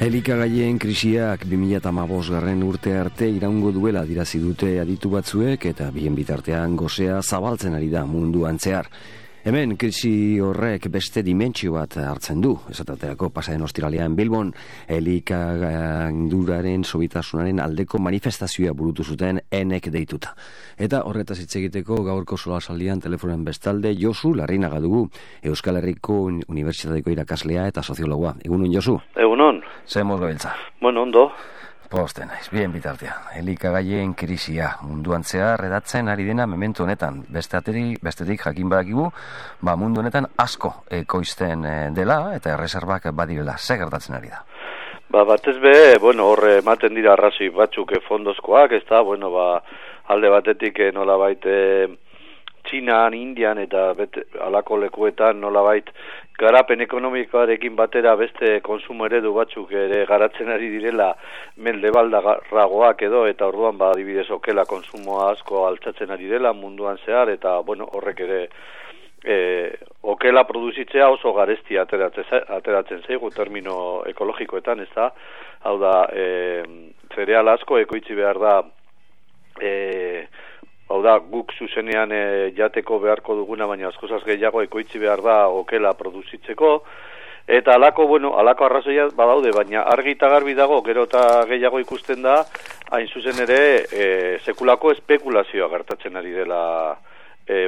Elikagaien krisiak 2015 urte arte iraungo duela dirazi dute aditu batzuek eta bien bitartean gosea zabaltzen ari da munduan zehar. Hemen krisi horrek beste dimentsio bat hartzen du. Esaterako pasaden ostiralean Bilbon elikagainduraren sobitasunaren aldeko manifestazioa burutu zuten enek deituta. Eta horretaz hitz egiteko gaurko solasaldian telefonen bestalde Josu Larrinaga dugu, Euskal Herriko Unibertsitateko irakaslea eta soziologoa. Egunon, Josu? Egunon. Zemos gabiltza. Bueno, ondo. Posten naiz, bien bitartean. Elikagaien krisia munduan zehar redatzen ari dena memento honetan. Bestetik jakin badakigu, mundu honetan asko ekoizten dela eta erreserbak badirela. Ze gertatzen ari da? Batez be, hor ematen dira arrazoi batzuk fondozkoak, ez da, alde batetik nolabait Txinan, Indian eta alako lekuetan nolabait garapen ekonomikoarekin batera beste konsumo eredu batzuk ere garatzen ari direla mendebaldarragoak edo, eta orduan adibidez okela konsumoa asko altzatzen ari dela munduan zehar, eta horrek ere okela produzitzea oso garesti ateratzen zaigu termino ekologikoetan, ez da, hau da, zereal asko ekoitzi behar da, hau da, guk zuzenean jateko beharko duguna, baina askozaz gehiago ekoitzi behar da okela produzitzeko, eta alako arrazoia badaude, baina argi eta garbi dago, gero eta gehiago ikusten da, hain zuzen ere, sekulako espekulazioa gertatzen ari dela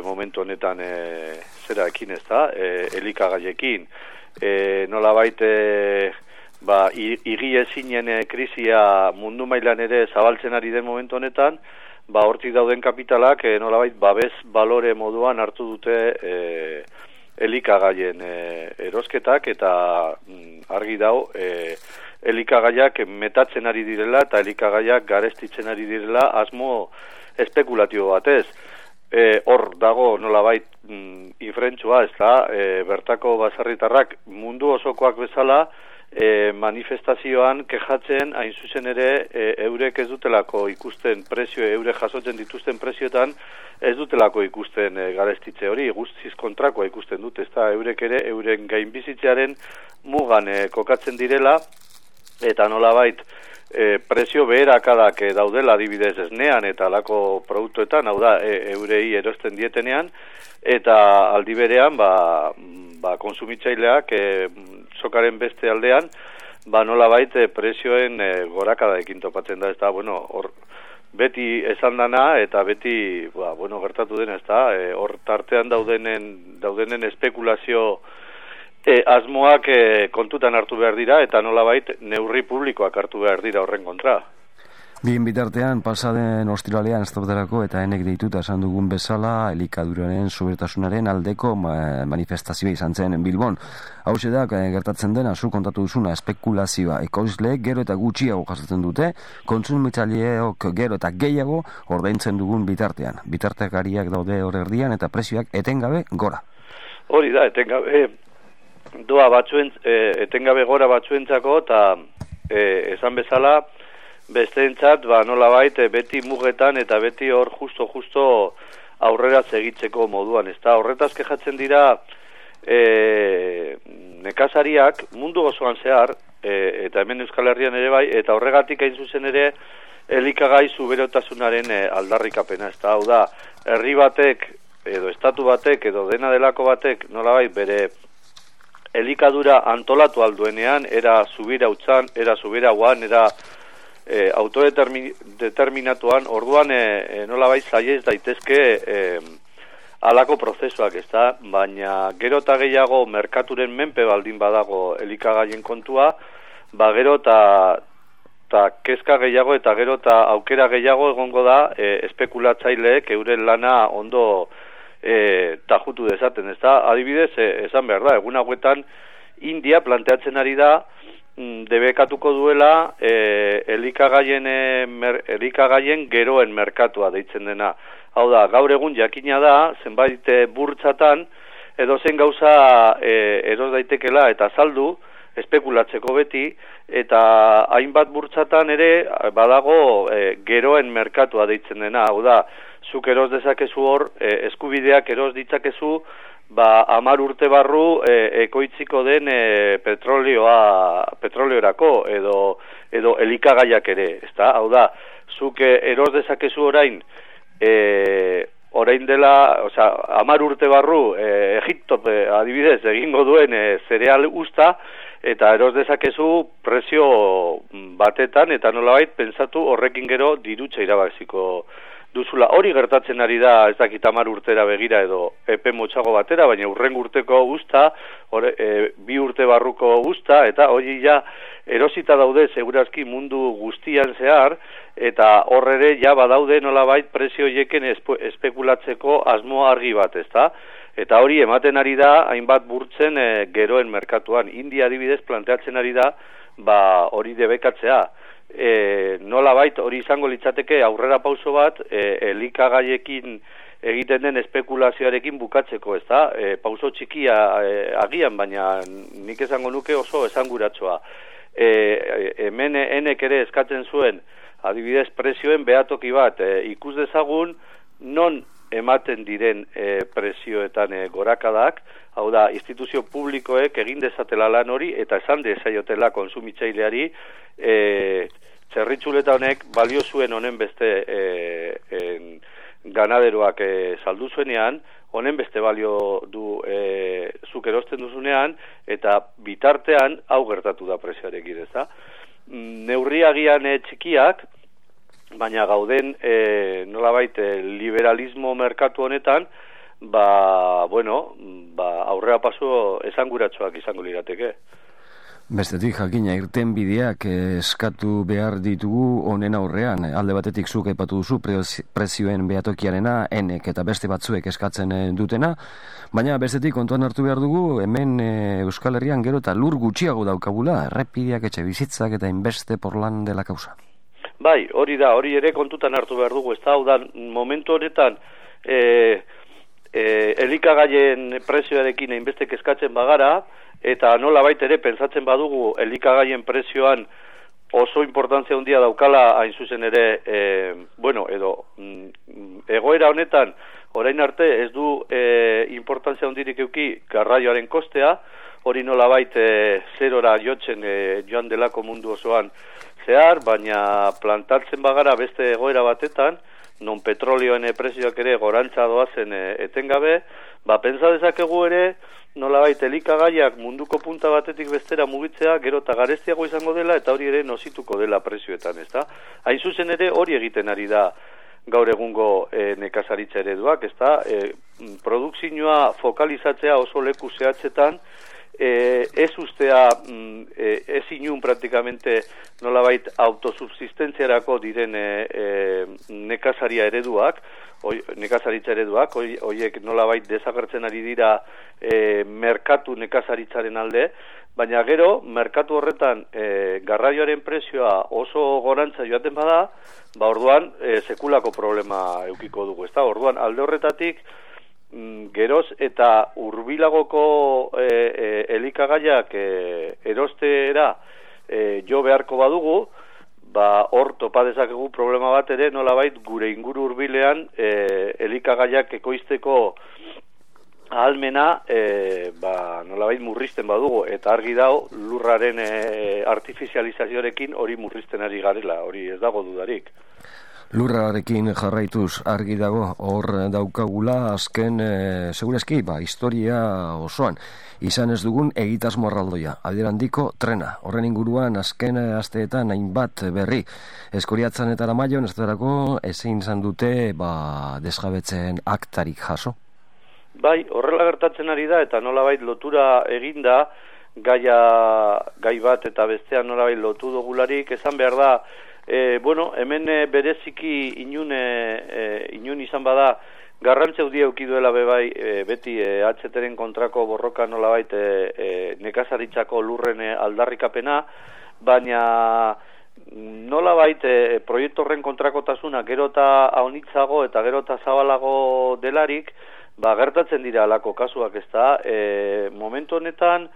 momentu honetan zeraekin, ez da, elikagaiekin. Nolabait, igiezinen krisia mundu mailan ere zabaltzen ari den momentu honetan, hortik dauden kapitalak nolabait babes balore moduan hartu dute elikagaien erosketak, eta argi dau elikagaiak metatzen ari direla eta elikagaiak garestitzen ari direla asmo espekulatibo batez. Hor dago nolabait infrentzua, ez da, bertako baserritarrak mundu osokoak bezala manifestazioan kejatzen hain zuzen ere eurek ez dutelako ikusten prezio, eurek jasotzen dituzten prezioetan ez dutelako ikusten garestitze hori, guztiz kontrakoa ikusten dut, ez da, eurek ere euren gainbizitzearen mugan kokatzen direla, eta nolabait prezio beherakadak daudela adibidez esnean eta alako produktuetan, hau da, eurei erosten dietenean, eta aldi berean konsumitzaileak sokaren beste aldean nolabait prezioen gorakadaekin topatzen da, ez da, hor beti esan dana eta beti gertatu den, ez da, hor tartean daudenen espekulazio asmoak kontutan hartu behar dira eta nolabait neurri publikoak hartu behar dira horren kontra. Bien bitartean, pasaden ostiralean estabaterako eta enek deituta esan dugun bezala elikaduraren sobertasunaren aldeko manifestazioa izan zen Bilbon. Hau da, gertatzen dena, zu kontatu duzuna, espekulazioa ekoizleek gero eta gutxiago jasotzen dute, kontsumitzaileok gero eta gehiago ordaintzen dugun bitartean. Bitartekariak daude hor erdian eta prezioak etengabe gora. Hori da, etengabe etengabe gora batzuentzako, eta esan bezala besteentzat nolabait beti mugetan eta beti hor justo aurrera segitzeko moduan, ez da, horretaz kejatzen dira nekazariak mundu osoan zehar, eta hemen Euskal Herrian ere bai, eta horregatik hain zuzen ere elikagai zuberotasunaren aldarrikapena, ez da, hau da, herri batek edo estatu batek edo dena delako batek nolabait bere elikadura antolatu alduenean, era zubira utzan, era zubira guan, era autodeterminatuan, orduan nolabait zaiez daitezke alako prozesuak, ez da, baina gero eta gehiago merkaturen menpe baldin badago elikagaien kontua, gero eta kezka gehiago eta gero eta aukera gehiago egongo da espekulatzaileek euren lana ondo tajutu dezaten, ez da, adibidez, esan behar da, egun hauetan India planteatzen ari da debekatuko duela elikagaien geroen merkatua deitzen dena. Hau da, gaur egun jakina da, zenbait burtsatan, edozein gauza eros daitekela eta saldu, espekulatzeko beti, eta hainbat burtsatan ere badago geroen merkatua deitzen dena. Hau da, zuk eros dezakezu hor, eskubideak eros ditzakezu, 10 urte barru ekoitziko den petroleorako edo elikagaiak ere, ezta? Hau da, zuk eros dezakezu orain dela, 10 urte barru Egipto adibidez egingo duen zereal usta, eta eros dezakezu prezio batetan, eta nolabait pentsatu horrekin gero dirutza irabaziko duzula. Hori gertatzen ari da, ez dakit 10 urtera begira edo epe motxago batera, baina urren urteko guzta, 2 urte barruko guzta, eta hori ja erosita daude segurazki mundu guztian zehar, eta horrere ja badaude nolabait prezio hieken espekulatzeko asmo argi bat, ezta? Eta hori ematen ari da hainbat burtzen geroen merkatuan. India adibidez planteatzen ari da hori debekatzea. Nolabait hori izango litzateke aurrera pauso bat elikagaiekin egiten den espekulazioarekin bukatzeko, ezta? Pauso txikia agian, baina nik esango nuke oso esanguratsoa. Hemen enek ere eskatzen zuen adibidez prezioen behatoki bat ikus dezagun non ematen diren prezioetan gorakadak, hau da, instituzio publikoek egin dezatela lan hori eta esan dezaiotela konsumitzaileari txerritxuleta honek balio zuen honen beste ganaderoak saldu zuenean, honen beste balio du zuk erosten duzunean, eta bitartean hau gertatu da prezioarekin, ezta? Neurriagian txikiak, baina gauden nolabait liberalismo merkatu honetan, aurrera paso esanguratsuak izango lirateke. Bestetik jakina irten bideak eskatu behar ditugu honen aurrean. Alde batetik zuk aipatu duzu prezioen behatokiarena, enek eta beste batzuek eskatzen dutena, baina bestetik kontuan hartu behar dugu hemen Euskal Herrian gero eta lur gutxiago daukagula, errepideak, etxe bizitzak eta inbeste porlan dela kausa. Bai, hori da, hori ere kontutan hartu behar dugu, ez da, hau da, momentu honetan elikagaien prezioarekin einbestek eskatzen bagara, eta nolabait ere pentsatzen badugu elikagaien prezioan oso importantzia handia daukala hain zuzen ere, egoera honetan orain arte ez du importantzia handirik euki garraioaren kostea, hori nolabait zerora joan delako mundu osoan zehar, baina plantatzen bagara beste egoera batetan, non petrolioen prezioak ere gorantza doazen etengabe, pentsa dezakegu ere nolabait elikagaiak munduko punta batetik bestera mugitzea gero eta garestiago izango dela eta hori ere nosituko dela prezioetan, ezta? Hain zuzen ere hori egiten ari da gaur egungo nekazaritza ereduak, ezta? Produkzioa fokalizatzea oso leku zehatzetan, ez ustea ez inun praktikamente nolabait autosubsistentziarako diren nekazaritza ereduak, horiek nolabait desagertzen ari dira merkatu nekazaritzaren alde, baina gero merkatu horretan garraioaren prezioa oso gorantza joaten bada, orduan sekulako problema eukiko dugu, ezta? Orduan alde horretatik geroz eta hurbilagoko elikagaiak erostera jo beharko badugu, hor topa dezakegu problema bat ere nolabait gure inguru hurbilean elikagaiak ekoizteko ahalmena nolabait murrizten badugu, eta argi dago lurraren artifizializazioarekin hori murrizten ari garela, hori ez dago dudarik. Lurrarekin jarraituz argi dago hor daukagula azken segurazki historia osoan izan ez dugun egitasmo erraldoia, alderandiko trena. Horren inguruan azken asteetan hainbat berri Eskoriatzan eta Aramaion ez ezin izan dute desjabetzen aktarik jaso. Bai, horrela gertatzen ari da eta nolabait lotura eginda gai bat eta bestean nolabait lotu dugularik, esan behar da hemen bereziki inun izan bada garrantzeu die eukiduela bebai beti HTren kontrako borroka nolabait nekazaritzako lurren aldarrikapena, baina nolabait proiektu horren kontrakotasuna gero eta haunitzago eta gero eta zabalago delarik, gertatzen dira alako kasuak, ezta? Momentu honetan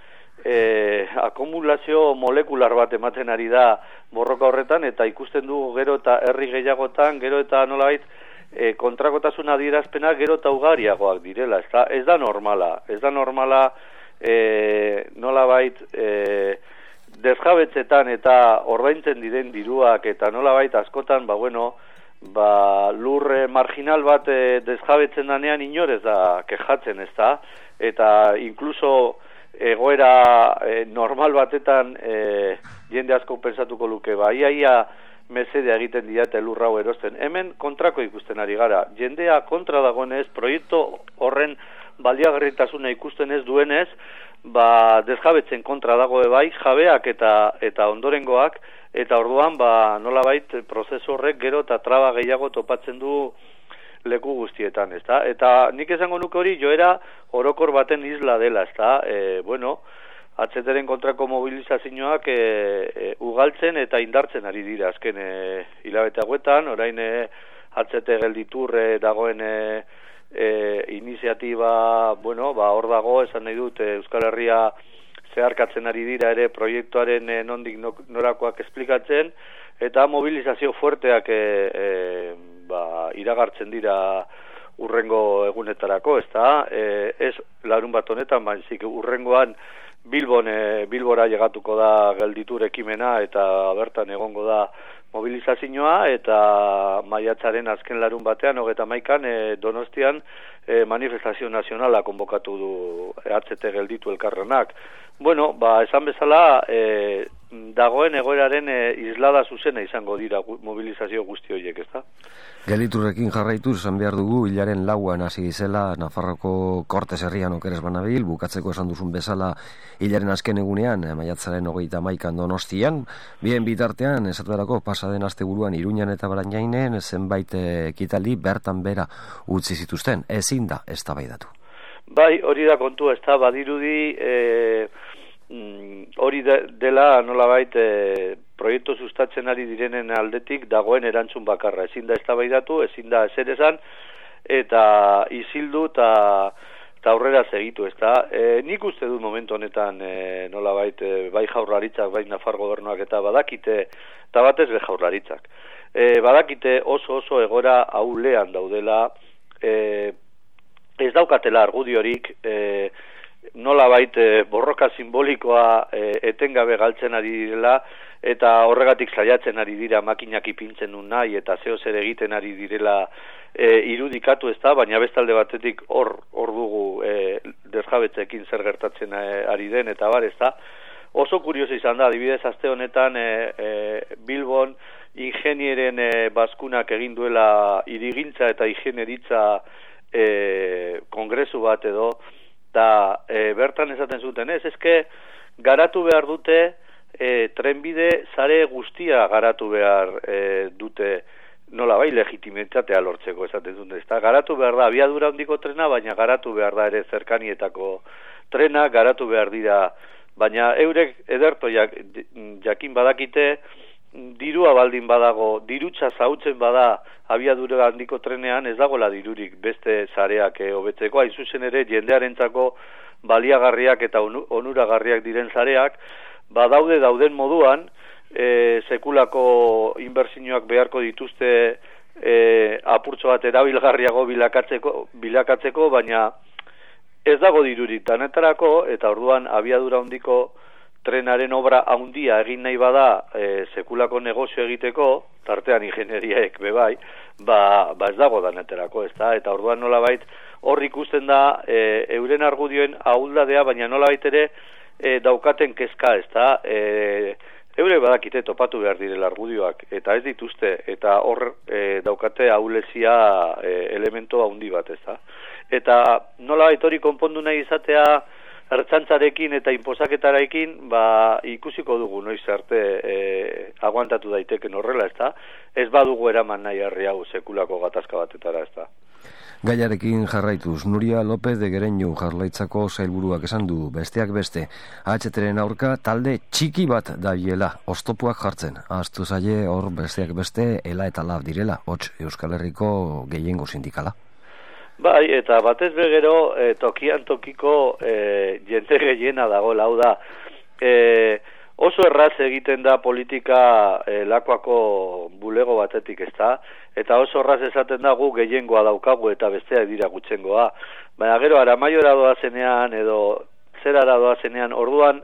akumulazio molekular bat ematen ari da borroka horretan, eta ikusten dugu gero eta herri gehiagotan, gero eta nolabait kontrakotasuna adierazpena gero eta ugariagoak direla, ezta? Ez da normala, nolabait desjabetzetan eta ordaintzen diren diruak eta nolabait askotan, lur marginal bat desjabetzen danean inorez da kejatzen, ezta? Eta inkluso egoera normal batetan jende asko pensatuko luke, ia mesedea egiten diate lur hau erosten. Hemen kontrako ikusten ari gara. Jendea kontra dagoenez, proiektu horren baliagarritasuna ikusten ez duenez, desjabetzen kontra dago bai, jabeak eta ondorengoak, eta orduan nolabait prozesu horrek gero eta traba gehiago topatzen du leku guztietan, ezta? Eta nik esango nuke hori joera orokor baten isla dela, ezta? HTren kontrako mobilizazioak ugaltzen eta indartzen ari dira azken hilabete hauetan, orain HT gelditur dagoen iniziatiba, hor dago, esan nahi dut, Euskal Herria zeharkatzen ari dira ere proiektuaren nondik norakoak esplikatzen, eta mobilizazio fuerteak iragartzen dira urrengo egunetarako, ezta? Ez larun bat honetan, baizik urrengoan Bilbora llegatuko da gelditur ekimena eta bertan egongo da mobilizazioa, eta maiatzaren azken larun batean, 31an, Donostian manifestazio nazionala konbokatu du HT gelditu elkarrenak. Esan bezala, dagoen egoeraren islada zuzena izango dira mobilizazio guzti horiek, ezta? Gelditurrekin jarraituz, esan behar dugu, hilaren lauan hasi dizela Nafarroko Kortes herrian okeres banabil, bukatzeko esan duzun bezala hilaren azken egunean, maiatzaren 31an Donostian, bien bitartean, esaterako pasaden asteburuan Iruñan eta Baranjainen, zenbait ekitaldi bertan bera utzi zituzten, ezin da eztabaidatu. Bai, hori da kontua, ez da, badirudi hori dela nolabait proiektu sustatzen ari direnen aldetik dagoen erantzun bakarra, ezin da eztabaidatu, ezin da ezer esan, eta isildu eta aurrera segitu, ez da. Nik uste dut momentu honetan nolabait bai jaurlaritzak, bai Nafar gobernuak eta badakite, eta batez be jaurlaritzak, badakite oso egora ahulean daudela, ez daukatela argudiorik, nolabait borroka simbolikoa etengabe galtzen ari direla, eta horregatik saiatzen ari dira makinak ipintzen duen nahi, eta zeo zer egiten ari direla irudikatu, ez da, baina bestalde batetik hor dugu desjabetzekin zer gertatzen ari den, eta bar, ez da. Oso kurioso izan da, adibidez aste honetan Bilbon ingenieren bazkunak egin duela hirigintza eta ingenieritza kongresu bat edo, eta bertan esaten zuten, ezke garatu behar dute trenbide sare guztia garatu behar dute nolabait legitimitatea lortzeko, esaten zuten, ezta? Garatu behar da abiadura handiko trena, baina garatu behar da ere zerkanietako trena, garatu behar dira, baina eurek ederto jakin badakite, dirua baldin badago, dirutza zautzen bada abiadura handiko trenean, ez dagoela dirurik beste sareak hobetzeko, hain zuzen ere jendearentzako baliagarriak eta onuragarriak diren sareak, dauden moduan, sekulako inbertsioak beharko dituzte apurtxo bat erabilgarriago bilakatzeko, baina ez dago dirurik danetarako, eta orduan abiadura handiko trenaren obra handia egin nahi bada sekulako negozio egiteko, tartean ingenieriaek bebai, ez dago danetarako, ez da, eta orduan nolabait hor ikusten da euren argudioen ahuldadea, baina nolabait ere daukaten kezka, ez da, eure badakite topatu behar direla argudioak, eta ez dituzte, eta hor daukate ahulezia elemento handi bat, ez da. Eta nolabait hori konpondu nahi izatea ertzantzarekin eta inposaketarekin, ikusiko dugu noiz arte aguantatu daiteken horrela, ez da. Ez badugu eraman nahi herri hau sekulako gatazka batetara, ez da. Gaiarekin jarraituz, Nuria López de Gereñu Jaurlaritzako sailburuak esan du, besteak beste, AHT-ren aurka talde txiki bat dabilela, oztopuak jartzen. Ahaztu zaie hor besteak beste, ela eta lab direla, hots Euskal Herriko gehiengo sindikala. Bai, eta batez begero, tokian tokiko jende gehiena dago, lau da. Oso erraz egiten da politika Lakuako bulego batetik, ezta? Eta oso erraz esaten da gu gehiengoa daukagu eta besteak dira gutxengoa. Baina gero Aramaiora doazenean edo zerara doazenean orduan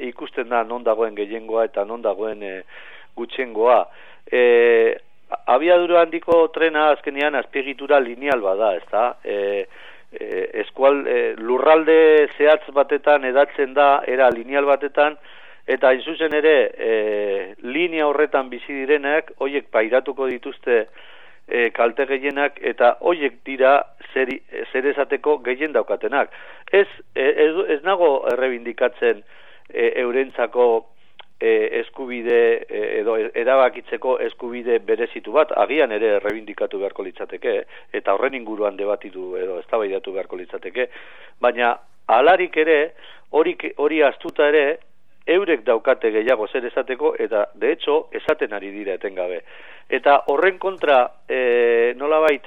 ikusten da non dagoen gehiengoa eta non dagoen gutxengoa. Abiadura handiko trena azkenean azpiegitura lineal bada, ezta? Lurralde zehatz batetan edatzen da, era lineal batetan, eta hain zuzen ere linea horretan bizi direnak, hoiek pairatuko dituzte kalte gehienak, eta hoiek dira zer esateko gehien daukatenak. Ez nago errebindikatzen eurentzako eskubide edo erabakitzeko eskubide berezitu bat, agian ere errebindikatu beharko litzateke, eta horren inguruan debatitu edo eztabaidatu beharko litzateke, baina halarik ere, hori astuta ere, eurek daukate gehiago zer esateko, eta de hecho esaten ari dira etengabe. Eta horren kontra, nolabait,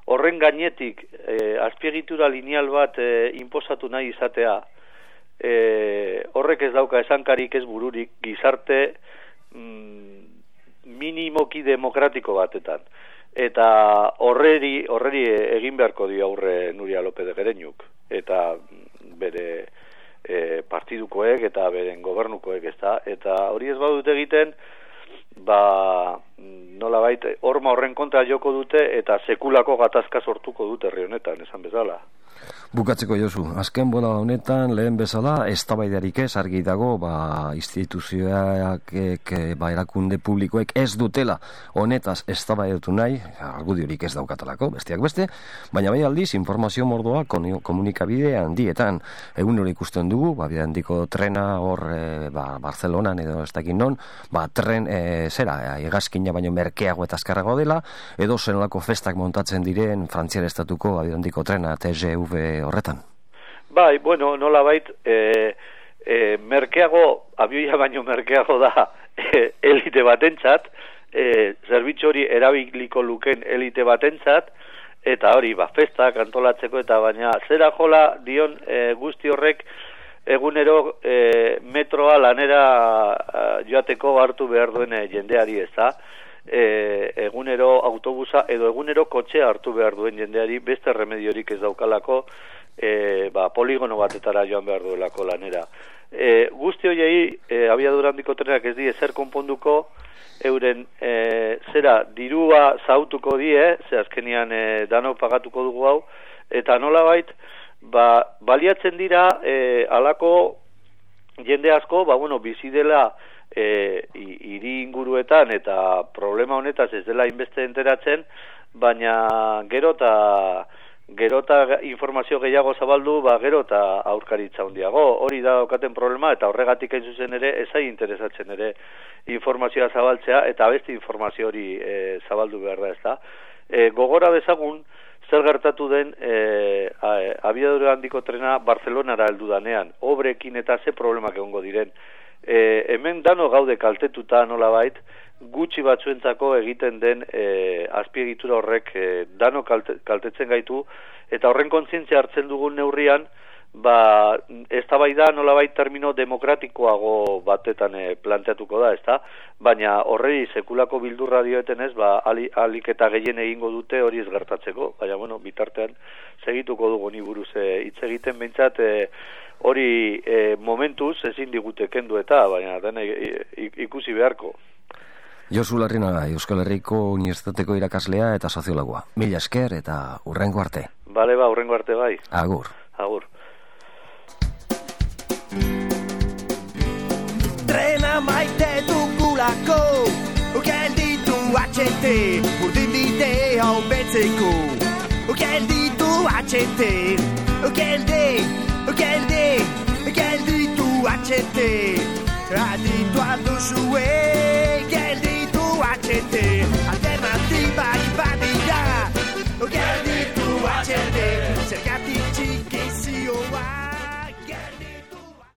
horren gainetik azpiegitura lineal bat inposatu nahi izatea, horrek ez dauka esankarik ez bururik gizarte minimoki demokratiko batetan. Eta horreri egin beharko dio aurre Nuria López de Gereñuk, eta bere partidukoek eta beren gobernukoek, ezta? Eta hori ez badute egiten, nolabait horma horren kontra joko dute eta sekulako gatazka sortuko dute herri honetan, esan bezala. Bukatzeko Josu, azken bola honetan lehen bezala eztabaidarik ez argi dago, instituzioak erakunde publikoek ez dutela honetaz eztabaidatu nahi, argudiorik ez daukatalako, besteak beste, baina bai aldiz informazio mordoa komunikabide handietan. Egun hori ikusten dugu, bide handiko trena hor Barcelonan edo ez dakin non, tren hegazkina baino merkeago eta azkarrago dela, edo zenolako festak montatzen diren Frantziar estatuko bide handiko trena TGV horretan. Bai, bueno, nolabait merkeago, abioia baino merkeago da elite batentzat, zerbitzu hori erabiliko luken elite batentzat, eta hori, festak antolatzeko, eta baina zera jola dion guzti horrek egunero metroa lanera joateko hartu behar duen jendeari, ez da? Egunero autobusa edo egunero kotxea hartu behar duen jendeari beste remediorik ez daukalako poligono batetara joan behar duelako lanera. Guzti horiei abiadura handiko trenak ez die zer konponduko, euren dirua zautuko die, ze azkenian danok pagatuko dugu hau, eta nolabait baliatzen dira alako jende asko, bizi dela hiri inguruetan eta problema honetaz ez dela inbeste enteratzen, baina gero eta informazio gehiago zabaldu, gero eta aurkaritza handiago. Hori da daukaten problema, eta horregatik hain zuzen ere ezai interesatzen ere informazioa zabaltzea, eta beste informazio hori zabaldu behar da, ez da. Gogora dezagun zer gertatu den abiadura handiko trena Barcelonara heldu danean, obrekin eta ze problemak egongo diren. Hemen dano gaude kaltetuta nolabait, gutxi batzuentzako egiten den azpiegitura horrek dano kaltetzen gaitu, eta horren kontzientzia hartzen dugun neurrian, eztabaida nolabait termino demokratikoago batetan planteatuko da, ezta? Baina horrei sekulako bildurra dioeten ez, alik eta gehien egingo dute hori ez gertatzeko, baina bitartean segituko dugu ni buruz hitz egiten, behintzat hori momentuz ezin digute kendu eta, baina dena ikusi beharko. Josu Larrinaga, Euskal Herriko Unibertsitateko irakaslea eta soziologoa. Mila esker eta hurrengo arte. Bale, hurrengo arte bai. Agur. Agur. Trena maite dugulako, gelditu HT, urdin dite hau betzeko. Gelditu HT, gelditu HT, aditu alduzue, gelditu HT, alternatiba iba.